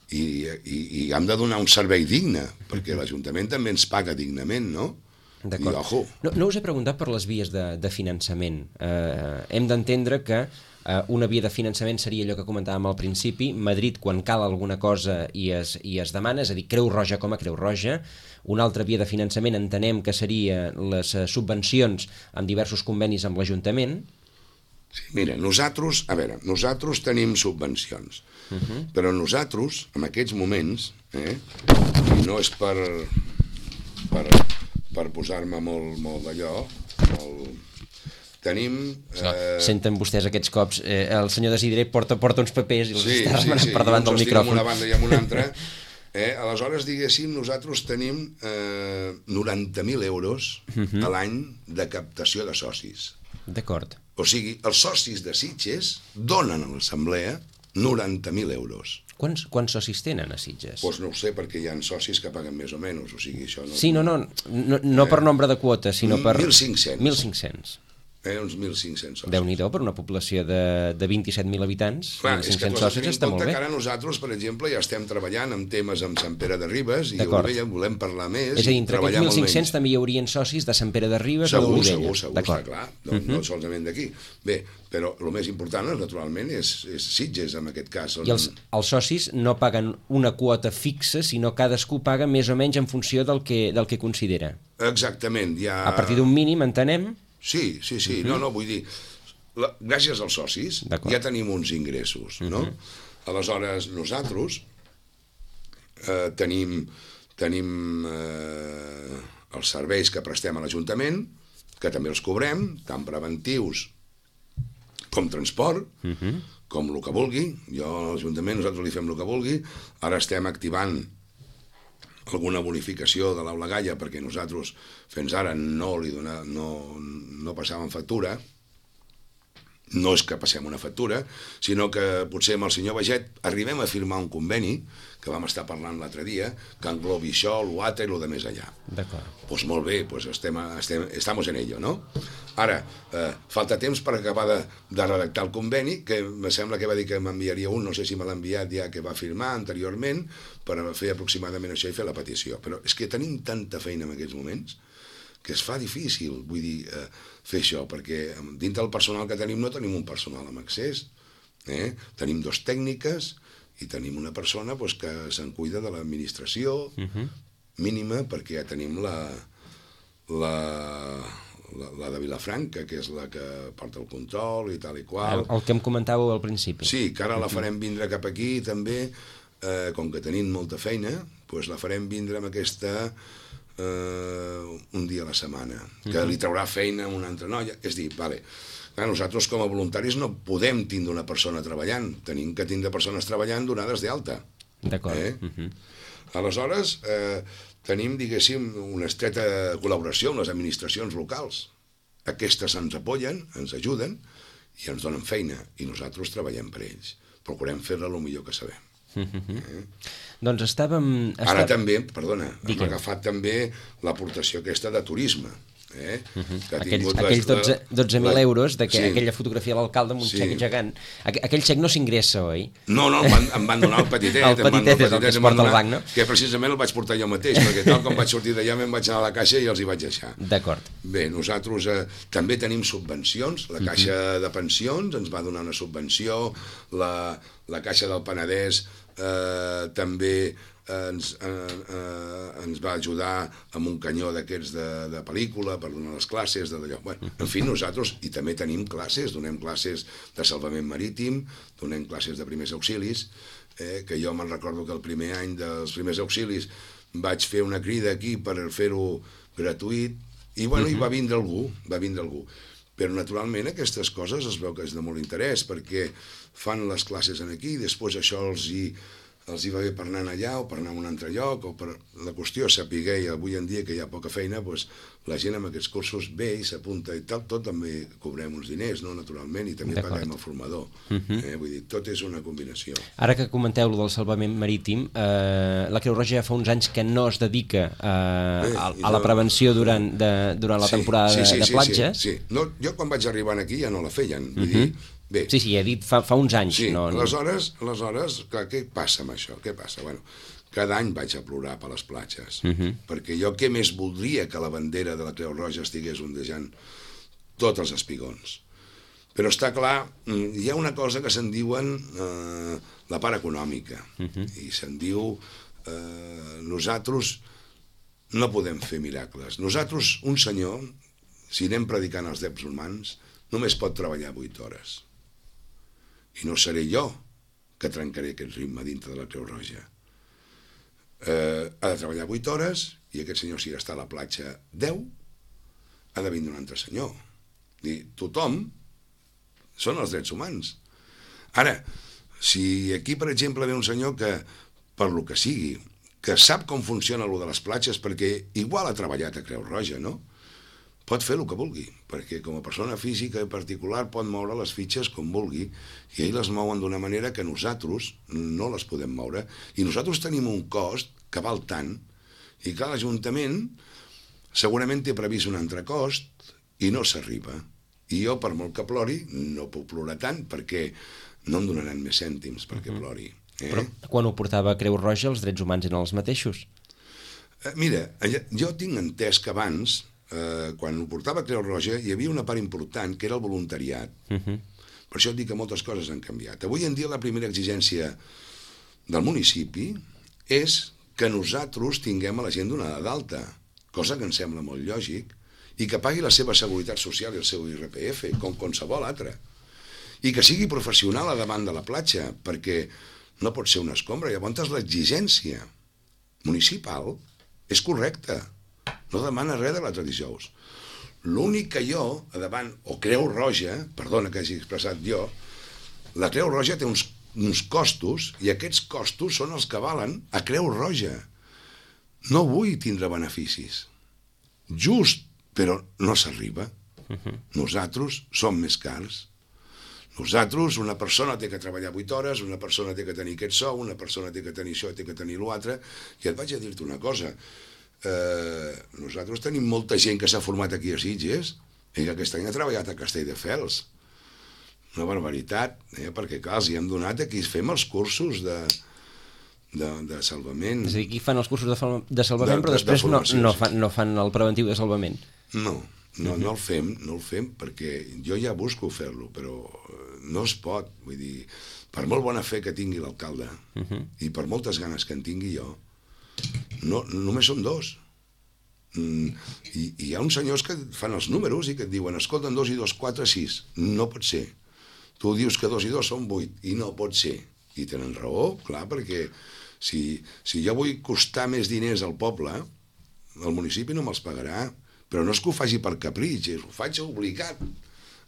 i, i, i hem de donar un servei digne, perquè l'Ajuntament també ens paga dignament, no? D'acord. No, no us he preguntat per les vies de, de finançament. Eh, hem d'entendre que eh, una via de finançament seria allò que comentàvem al principi, Madrid quan cal alguna cosa i es, i es demana, és a dir, Creu Roja com a Creu Roja. Una altra via de finançament entenem que seria les subvencions amb diversos convenis amb l'Ajuntament. Sí, mira, nosaltres, a veure, nosaltres tenim subvencions, uh -huh. però nosaltres, en aquests moments, eh, i no és per, per, per posar-me molt, molt d'allò, molt... tenim... Eh... Senten vostès aquests cops, eh, el senyor Desideri porta, porta uns papers i els sí, està remenant sí, sí. per davant del micròfon. Sí, amb una banda i amb una altra. Eh, aleshores, diguéssim, nosaltres tenim eh, noranta mil euros uh -huh. a l'any de captació de socis. D'acord. O sigui, els socis de Sitges donen a l'assemblea noranta mil euros. Quants, quants socis tenen a Sitges? Doncs pues no ho sé, perquè hi ha socis que paguen més o menys, o sigui, això no... Sí, no, no, no, no eh, per nombre de quotes, sinó per... mil cinc-cents. mil cinc-cents. Eh, uns mil cinc-cents socis. Déu-n'hi-do, per una població de, de vint-i-set mil habitants, clar, mil cinc-cents socis està molt bé. Que ara nosaltres, per exemple, ja estem treballant amb temes amb Sant Pere de Ribes i Olivella, volem parlar més. És a dir, entre aquests mil cinc-cents també hi haurien socis de Sant Pere de Ribes segur, o d'Olivella. Segur, segur, està clar, no, uh -huh. no solament d'aquí. Bé, però el més important, naturalment, és, és Sitges, en aquest cas. On... I els, els socis no paguen una quota fixa, sinó cadascú paga més o menys en funció del que, del que considera. Exactament. Ja... A partir d'un mínim, entenem... Sí, sí, sí, uh -huh. no, no, vull dir, la, gràcies als socis ja tenim uns ingressos, no? Uh -huh. Aleshores, nosaltres eh, tenim, tenim eh, els serveis que prestem a l'Ajuntament, que també els cobrem, tant preventius com transport, uh -huh. com el que vulgui. Jo a l'Ajuntament, nosaltres li fem el que vulgui. Ara estem activant alguna bonificació de l'Aula Gaia, perquè nosaltres fins ara no li dona, no, no passàvem factura. No és que passem una factura, sinó que potser amb el senyor Baget arribem a firmar un conveni, que vam estar parlant l'altre dia, que englobi això, l'altre i el de més allà. D'acord. Doncs pues molt bé, pues estem, estem, estamos en ello, no? Ara, eh, falta temps per acabar de, de redactar el conveni, que me sembla que va dir que m'enviaria un, no sé si me l'ha enviat ja, que va firmar anteriorment, per fer aproximadament això i fer la petició. Però és que tenim tanta feina en aquests moments que es fa difícil, vull dir, eh, fer això, perquè dintre del personal que tenim no tenim un personal amb accés, eh? Tenim dos tècniques i tenim una persona pues, que se'n cuida de l'administració uh-huh. mínima, perquè ja tenim la, la, la, la de Vilafranca, que és la que porta el control i tal i qual. El, el que em comentàveu al principi. Sí, que ara la farem vindre cap aquí també, eh, com que tenim molta feina, pues la farem vindre amb aquesta... Uh, un dia a la setmana, que uh-huh. li traurà feina a una altra noia. És dir, vale, clar, nosaltres com a voluntaris no podem tindre una persona treballant, tenim que tindre persones treballant donades d'alta. D'acord. Eh? Uh-huh. Aleshores, eh, tenim, diguéssim, una estreta col·laboració amb les administracions locals. Aquestes ens apoyen, ens ajuden i ens donen feina, i nosaltres treballem per ells. Procurem fer-la el millor que sabem. Uh-huh. Eh? Doncs estàvem... Ara estàvem... també, perdona, Digue'm. hem agafat també l'aportació aquesta de turisme. Eh? Uh-huh. que aquells aquells dotze mil euros d'aquella sí. fotografia de l'alcalde amb un sí. xec gegant. Aqu aquell xec no s'ingressa, oi? No, no, em van, em van donar el petitet. el petitet és el que es porta al banc, no? Que precisament el vaig portar jo mateix, perquè tal com vaig sortir d'allà me'n vaig anar a la caixa i els hi vaig deixar. D'acord. Bé, nosaltres eh, també tenim subvencions. La Caixa uh-huh. de Pensions ens va donar una subvenció, la, la Caixa del Penedès eh, també ens, eh, eh, ens va ajudar amb un canyó d'aquests de, de pel·lícula per donar les classes d'allò. Bueno, en fi, nosaltres i també tenim classes, donem classes de salvament marítim, donem classes de primers auxilis, eh, que jo me'n recordo que el primer any dels primers auxilis vaig fer una crida aquí per fer-ho gratuït i, bueno, uh-huh. hi va vindre algú, va vindre algú. Però, naturalment, aquestes coses es veu que és de molt interès, perquè fan les classes aquí i després això els hi els hi va bé per anar allà o per anar a un altre lloc, o per... la qüestió és saber, i avui en dia que hi ha poca feina, doncs, la gent amb aquests cursos ve i s'apunta i tal, tot també cobrem uns diners, no? Naturalment, i també paguem el formador. Uh-huh. eh? Vull dir, tot és una combinació. Ara que comenteu del salvament marítim, eh, la Creu Roja ja fa uns anys que no es dedica eh, a, a la prevenció durant, de, durant la sí, temporada sí, sí, de, de platges. Sí, sí. No, jo quan vaig arribar aquí ja no la feien, vull uh-huh. dir, bé. Sí, sí, he dit fa, fa uns anys. Sí, no, no. aleshores, aleshores clar, què passa amb això? Què passa? Bueno, cada any vaig a plorar per les platges, uh-huh. perquè jo què més voldria que la bandera de la Creu Roja estigués ondejant tots els espigons. Però està clar, hi ha una cosa que se'n diuen eh, la part econòmica, uh-huh. i se'n diu eh, nosaltres no podem fer miracles. Nosaltres, un senyor, si anem predicant els drets humans, només pot treballar vuit hores. I no seré jo que trencaré aquest ritme dintre de la Creu Roja. Eh, ha de treballar vuit hores i aquest senyor, si està a la platja deu, ha de vindre un altre senyor. I tothom són els drets humans. Ara, si aquí, per exemple, ve un senyor que, per lo que sigui, que sap com funciona allò de les platges, perquè igual ha treballat a Creu Roja, no? Pot fer el que vulgui, perquè com a persona física i particular pot moure les fitxes com vulgui, i ells les mouen d'una manera que nosaltres no les podem moure, i nosaltres tenim un cost que val tant, i que l'Ajuntament segurament té previst un altre cost, i no s'arriba. I jo, per molt que plori, no puc plorar tant, perquè no em donaran més cèntims perquè uh-huh. plori. Eh? Però quan ho portava a Creu Roja, els drets humans eren els mateixos? Eh, mira, jo tinc entès que abans, eh, quan ho portava a Creu Roja, hi havia una part important, que era el voluntariat. Uh-huh. Per això et dic que moltes coses han canviat. Avui en dia la primera exigència del municipi és que nosaltres tinguem a la gent donada d'alta, cosa que em sembla molt lògic, i que pagui la seva seguretat social i el seu I R P F, com qualsevol altre. I que sigui professional a davant de la platja, perquè no pot ser una escombra. Llavors l'exigència municipal és correcta. No demana res de l'altre dijous. L'únic que jo, a davant, o Creu Roja, perdona que hagi expressat jo, la Creu Roja té uns, uns costos, i aquests costos són els que valen a Creu Roja. No vull tindre beneficis. Just, però no s'arriba. Uh-huh. Nosaltres som més cars. Nosaltres, una persona té que treballar vuit hores, una persona té que tenir aquest sou, una persona té que tenir això, té que tenir l'altre, i et vaig a dir-te una cosa. Eh, nosaltres tenim molta gent que s'ha format aquí a Sitges i que aquest any ha treballat a Castelldefels. Una barbaritat, eh? Perquè clar, els hi hem donat, aquí fem els cursos de... De, de salvament. És a dir, aquí fan els cursos de, de salvament, de, però després de no, no, fan, no fan el preventiu de salvament. No, no, no el fem, no el fem, perquè jo ja busco fer-lo, però no es pot. Vull dir, per molt bona fe que tingui l'alcalde, uh-huh. i per moltes ganes que en tingui jo, no, només són dos. Mm, i, i hi ha uns senyors que fan els números i que et diuen, escolta, dos i dos, quatre, sis. No pot ser. Tu dius que dos i dos són vuit, i no pot ser. I tenen raó, clar, perquè si, si jo vull costar més diners al poble, el municipi no me'ls pagarà, però no és que ho faci per capritx, ho faig obligat.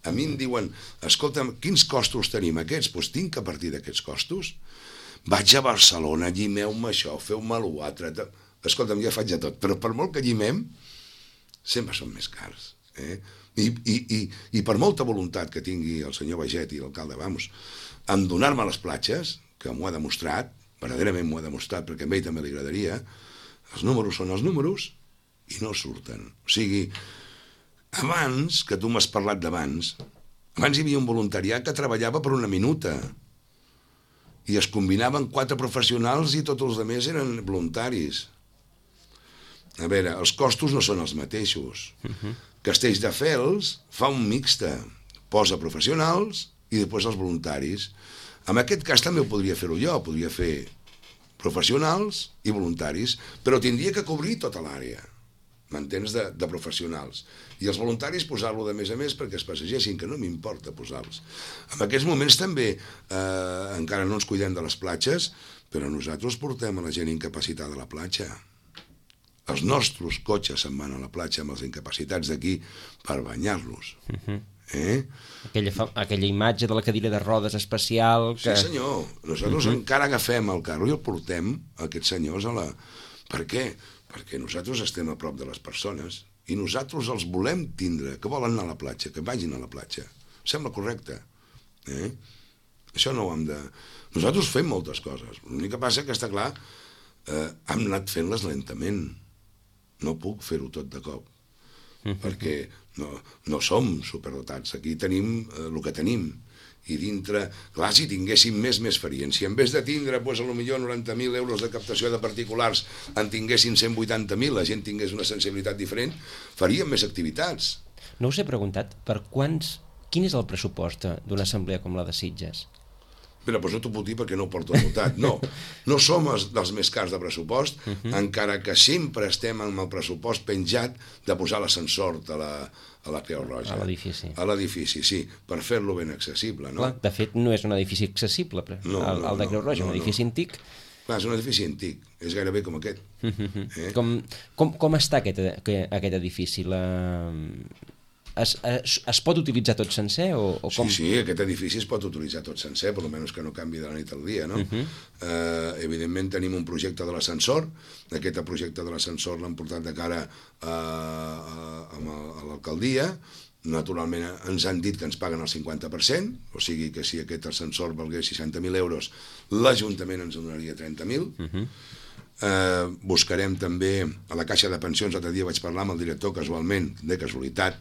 A mi em diuen, escolta'm, quins costos tenim aquests? Doncs tinc que partir d'aquests costos. Vaig a Barcelona, llimeu-me això, feu-me l'altre. Escolta'm, ja faig de tot, però per molt que llimem, sempre són més cars. Eh? I, i, i, I per molta voluntat que tingui el senyor Baget i l'alcalde, vamos, en donar-me les platges, que m'ho ha demostrat, verdaderament m'ho ha demostrat, perquè a ell també li agradaria, els números són els números i no surten. O sigui, abans, que tu m'has parlat d'abans, abans hi havia un voluntariat que treballava per una minuta i es combinaven quatre professionals i tots els altres eren voluntaris. A veure, els costos no són els mateixos. Uh-huh. Castelldefels fa un mixte, posa professionals i després els voluntaris. En aquest cas també ho podria fer-ho jo, podria fer professionals i voluntaris, però tindria que cobrir tota l'àrea, m'entens, de, de professionals. I els voluntaris posar-lo de més a més perquè es passegessin, que no m'importa posar-los. En aquests moments també eh, encara no ens cuidem de les platges, però nosaltres portem a la gent incapacitada a la platja. Els nostres cotxes se'n van a la platja amb els incapacitats d'aquí per banyar-los. Uh-huh. Eh? Aquella, fa, aquella imatge de la cadira de rodes especial que... Sí senyor, nosaltres uh-huh. encara agafem el carro i el portem a aquests senyors a la... Per què? Perquè nosaltres estem a prop de les persones i nosaltres els volem tindre, que volen anar a la platja, que vagin a la platja. Sembla correcte. Eh? Això no ho hem de... Nosaltres fem moltes coses, l'únic que passa que està clar, eh, hem anat fent-les lentament. No puc fer-ho tot de cop, uh-huh. perquè no, no som superdotats. Aquí tenim eh, el que tenim. I dintre, clar, si tinguéssim més, més farien. Si en vez de tindre, doncs, potser noranta mil euros de captació de particulars en tinguessin cent vuitanta mil, la gent tingués una sensibilitat diferent, faríem més activitats. No us he preguntat per quants... Quin és el pressupost d'una assemblea com la de Sitges? Però doncs no t'ho puc dir perquè no ho porto anotat. No, no som els, dels més cars de pressupost, uh -huh. encara que sempre estem amb el pressupost penjat de posar l'ascensor a la, a la Creu Roja. A l'edifici. A l'edifici, sí, per fer-lo ben accessible, no? Clar, de fet, no és un edifici accessible, però no, el, no, el de Creu Roja, no, un edifici no. antic. Clar, és un edifici antic, és gairebé com aquest. Uh -huh. eh? com, com, com està aquest, aquest edifici? La... Es, es, es pot utilitzar tot sencer? O, o com? Sí, sí, aquest edifici es pot utilitzar tot sencer, per almenys que no canvi de la nit al dia, no? Uh-huh. eh, evidentment tenim un projecte de l'ascensor, aquest projecte de l'ascensor l'han portat de cara a, a, a l'alcaldia, naturalment ens han dit que ens paguen el cinquanta per cent, o sigui que si aquest ascensor valgués seixanta mil euros, l'Ajuntament ens donaria trenta mil. Uh-huh. eh, buscarem també a la Caixa de Pensions, l'altre dia vaig parlar amb el director casualment, de casualitat,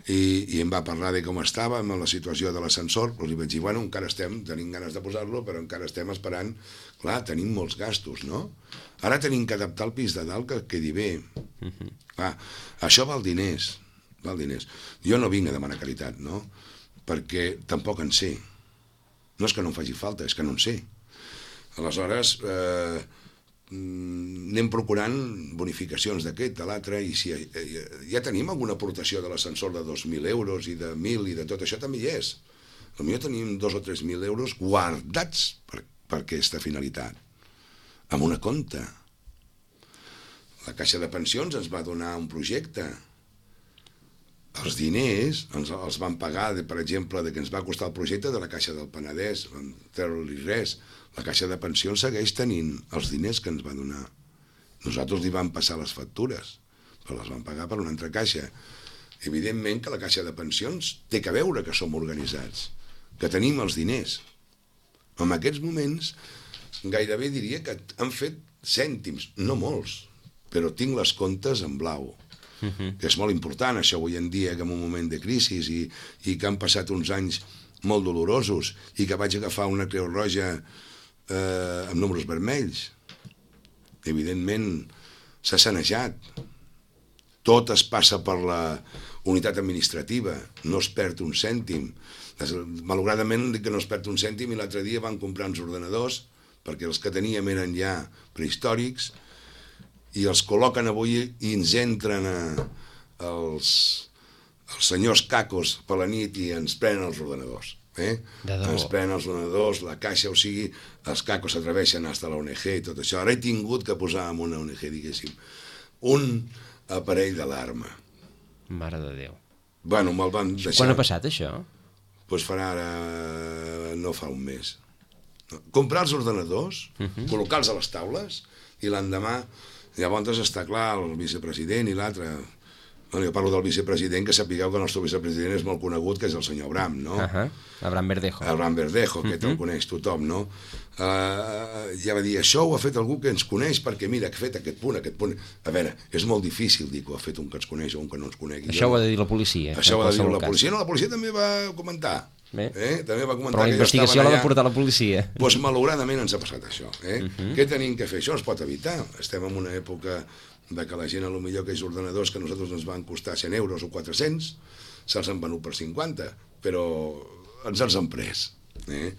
I, i em va parlar de com estava amb la situació de l'ascensor, però li vaig dir, bueno, encara estem, tenim ganes de posar-lo, però encara estem esperant, clar, tenim molts gastos, no? Ara tenim que adaptar el pis de dalt que quedi bé. Uh-huh. Clar, això val diners, val diners. Jo no vinc a demanar caritat, no? Perquè tampoc en sé. No és que no em faci falta, és que no en sé. Aleshores, eh, anem procurant bonificacions d'aquest, de l'altre, i si ja tenim alguna aportació de l'ascensor de dos mil euros i de mil i de tot això també hi és. Potser tenim dos o tres mil euros guardats per, per aquesta finalitat, amb una compta. La Caixa de Pensions ens va donar un projecte. Els diners ens els van pagar, de, per exemple, de que ens va costar el projecte de la Caixa del Penedès, vam treure-li res. La Caixa de Pensions segueix tenint els diners que ens va donar. Nosaltres li vam passar les factures, però les vam pagar per una altra caixa. Evidentment que la Caixa de Pensions té que veure que som organitzats, que tenim els diners. En aquests moments, gairebé diria que han fet cèntims, no molts, però tinc les comptes en blau. Uh-huh. Que és molt important, això avui en dia, que en un moment de crisi i, i que han passat uns anys molt dolorosos i que vaig agafar una Creu Roja eh, amb números vermells. Evidentment s'ha sanejat. Tot es passa per la unitat administrativa, no es perd un cèntim. Malauradament dic que no es perd un cèntim i l'altre dia van comprar uns ordenadors perquè els que teníem eren ja prehistòrics i els col·loquen avui i ens entren a, els, els senyors cacos per la nit i ens prenen els ordenadors. Eh? Ens prenen els ordenadors, la caixa, o sigui, els cacos s'atreveixen fins a la O N G i tot això. Ara he tingut que posar en una O N G, diguéssim, un aparell d'alarma. Mare de Déu. Bueno, me'l van deixar... Quan ha passat això? Doncs pues farà ara... no fa un mes. Comprar els ordenadors, uh-huh. col·locar-los a les taules i l'endemà... Llavors està clar el vicepresident i l'altre... Bueno, jo parlo del vicepresident, que sapigueu que el nostre vicepresident és molt conegut, que és el senyor Abram, no? Uh-huh. Abram Verdejo. Abram Verdejo, que uh-huh. el coneix tothom, no? Uh, ja va dir, això ho ha fet algú que ens coneix, perquè mira, que ha fet aquest punt, aquest punt... A veure, és molt difícil dir que ho ha fet un que ens coneix o un que no ens conegui. Això ho ha de dir la policia. Això ho ha de dir la policia. No, la policia també va comentar. Eh? També va comentar. Però la investigació l'ha de portar la policia. Doncs pues, malauradament ens ha passat això. Eh? Uh-huh. Què tenim que fer? Això es pot evitar. Estem en una època de que la gent, a lo millor aquells ordenadors que a nosaltres ens van costar cent euros o quatre-cents, se'ls han venut per cinquanta, però ens els han pres. Eh?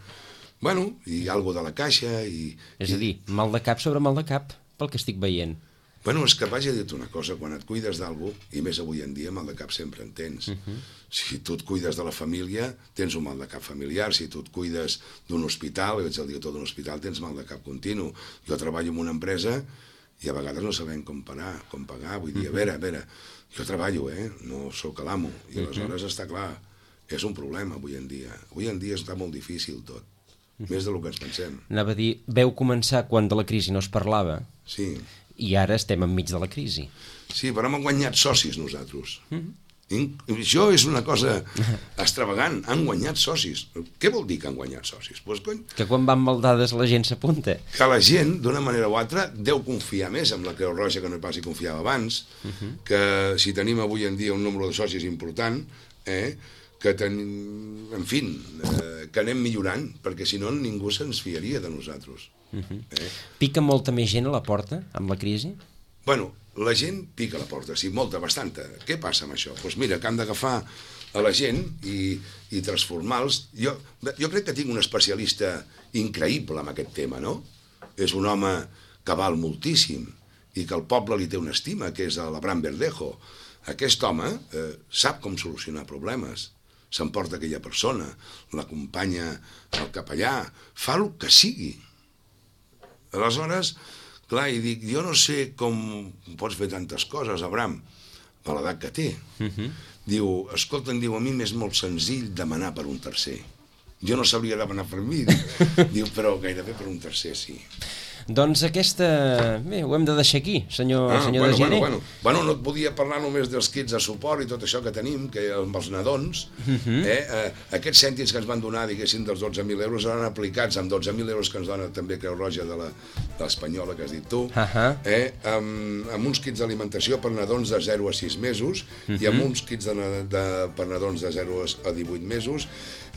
Bueno, i alguna de la caixa... I, és a dir, mal de cap sobre mal de cap, pel que estic veient. Bueno, és que vaig a dir-te una cosa, quan et cuides d'algú, i més avui en dia, mal de cap sempre en tens. Uh-huh. Si tu et cuides de la família, tens un mal de cap familiar. Si tu et cuides d'un hospital, ets el director d'un hospital, tens mal de cap continu. Jo treballo en una empresa i a vegades no sabem com parar, com pagar. Vull dir, a veure, a veure, jo treballo, eh? No sóc l'amo. I aleshores està clar, és un problema avui en dia. Avui en dia està molt difícil tot, més del que ens pensem. Anava a dir, veu començar quan de la crisi no es parlava. Sí. I ara estem enmig de la crisi. Sí, però hem guanyat socis nosaltres. Mm-hmm. Això és una cosa extravagant. Han guanyat socis. Què vol dir que han guanyat socis? Pues, cony, que quan van maldades la gent s'apunta. Que la gent, d'una manera o altra, deu confiar més en la Creu Roja que no pas hi confiava abans, uh-huh. que si tenim avui en dia un nombre de socis important, eh, que tenim, en fi, eh, que anem millorant, perquè si no ningú se'ns fiaria de nosaltres. Uh-huh. eh? Pica molta més gent a la porta amb la crisi? Bueno, la gent pica la porta, sí, molta, bastanta. Què passa amb això? Doncs pues mira, que han d'agafar a la gent i, i transformar-los. Jo, jo crec que tinc un especialista increïble en aquest tema, no? És un home que val moltíssim i que el poble li té una estima, que és l'Abraham Verdejo. Aquest home eh, sap com solucionar problemes. S'emporta aquella persona, l'acompanya al capellà, fa el que sigui. Aleshores, clar, i dic, jo no sé com pots fer tantes coses, Abraham, a l'edat que té. Uh-huh. Diu, escolta, em diu, a mi m'és molt senzill demanar per un tercer. Jo no sabria demanar per mi. Diu, diu però gairebé per un tercer, sí. Doncs aquesta... Bé, ho hem de deixar aquí, senyor, ah, senyor bueno, de Gener. Bueno, bueno. bueno, no et podia parlar només dels kits de suport i tot això que tenim, que amb els nadons, uh-huh. eh, eh, aquests cèntims que ens van donar, diguéssim, dels dotze mil euros, seran aplicats amb dotze mil euros que ens dona també Creu Roja de l'Espanyola, que has dit tu, uh-huh. eh, amb, amb uns kits d'alimentació per nadons de zero a sis mesos uh-huh. i amb uns kits de, de, per nadons de zero a divuit mesos,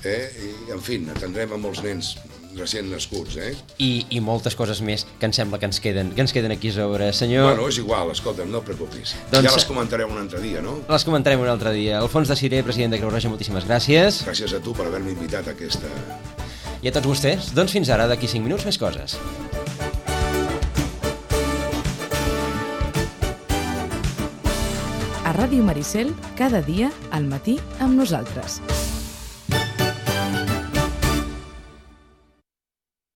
eh, i, en fi, atendrem a molts nens recient nascuts, eh? I, i moltes coses més que em sembla que ens queden, que ens queden aquí a sobre, senyor. Bueno, és igual, escolta'm, no et preocupis. Doncs, ja les comentarem un altre dia, no? Les comentarem un altre dia. Alfons de Ciré, president de Creu Roja, moltíssimes gràcies. Gràcies a tu per haver-me invitat a aquesta... I a tots vostès, doncs fins ara, d'aquí cinc minuts més coses. A Ràdio Maricel, cada dia, al matí, amb nosaltres.